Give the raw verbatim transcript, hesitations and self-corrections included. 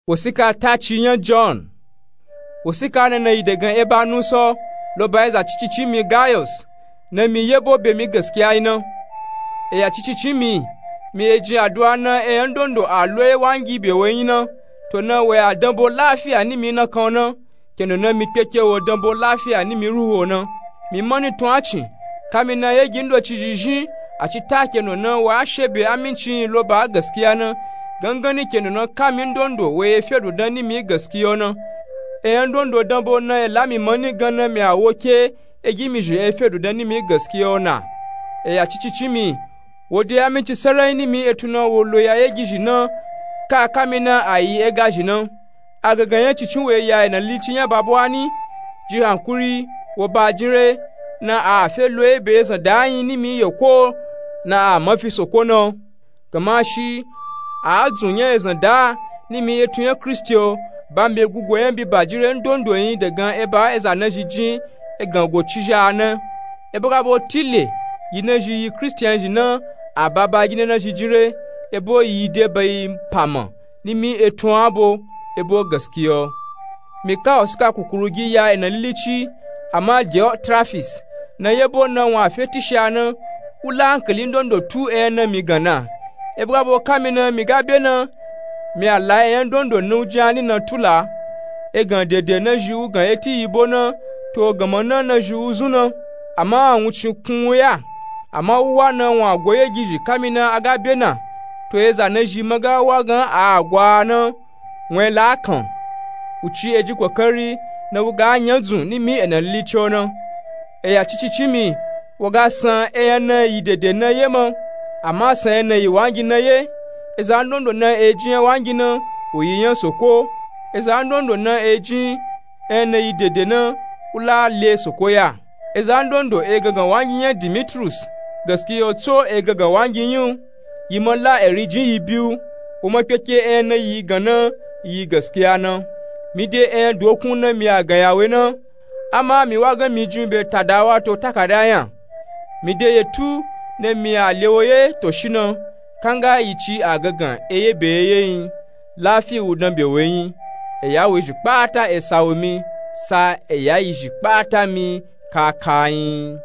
Wosika taci nya john. Wosika nana yi dagan eba nuso lo ba eza cicici mi gayos, na mi yebo be mi gaskiya yi na. Eya cicici mi, mi ejin aduwa na eyan dondo a lo ewangi be wo yi na. To na wo ya danbo lafiya ni mi na kan na, kendo na mi kpeke wo danbo lafiya ni mi ruho na. Mi mani tun acin, kami na yegi ndoci zhizhin, a ci ta kendo na wo a shebe aminci yi lo ba gaskiya na, gangani kendo na kami ndondo wo ye fedu dan ni mi gaskiya na. Eyan dondo danbo na ela mi mani gan na mi a wo ke egi mi zhi e fedu dan ni mi gaskiya na. Eya cicici mi, wo de aminci sarai ni mi etun na wo lo ya yegi zhi na, ka kami na a yi ega zhi na. Agagan nya cicin wo ya ena lici nya babwani, ji hankuri, wo ba jinre, na a fe lo ebe ezan da yin ni mi yeko, na a mafi soko na. Gama shi a dzun nya ezan da ni mi etun nya kristi o, ba mi be gugo nya bi ba jinre ndondo yin dagan eba eza na zhi jin egan go ci zha na. Ebo ga bo tile yi na zhi yi kristian zhi na, a ba ba gina na zhi jinre, ebo yi de ba yi pama ni mi etun abo, ebo gaskiya o. Mi ka wosika kukuru gi ya ena lilici, ama diotrafis, na yebo na won a fe tisha na, u la ankali ndondo tu eyan na mi gan na. Ebo ga bo kami na mi ga be na, mi a la eyan dondo na u jin ani na tula. Egan dede na zhi u gan eti yibo na, to gama na na zhi u zun na. Ama awuncin kun u ya, ama u wa na won a go yegi zhi kami na a ga be na. To eza na zhi ma ga wa gan a gwa na, won e la kan. U ci eji kokari na u ga nya dzun ni mi ena lilici o na. Eya cicici mi, wo ga san eyan na yi dede na ye ma, ama san eyan na yi wangi na ye. Eza ndondo na ejin ewangi na, wo yi nya soko. Eza ndondo na ejin eyan na yi dede na, u la le soko ya. Eza ndondo egangan wangi nya dimitrus, gaskiya o tso egangan wangi yin u. Yi ma la eri jin yi bi u, wo ma kpeke eyan na yi gan na, yi gaskiya na. Mi de eyan dokun na mi a gan ya we na, ama mi wa gan mi jin be tada wato takada nya. Mi de yetu na mi a le wo ye to shi na, kanga yi ci a gangan eye be ye ye yin. Lafi u dan be we yin. Eya we zhi kpata esa wo mi, sa eya yi zhi kpata mi kaka yin.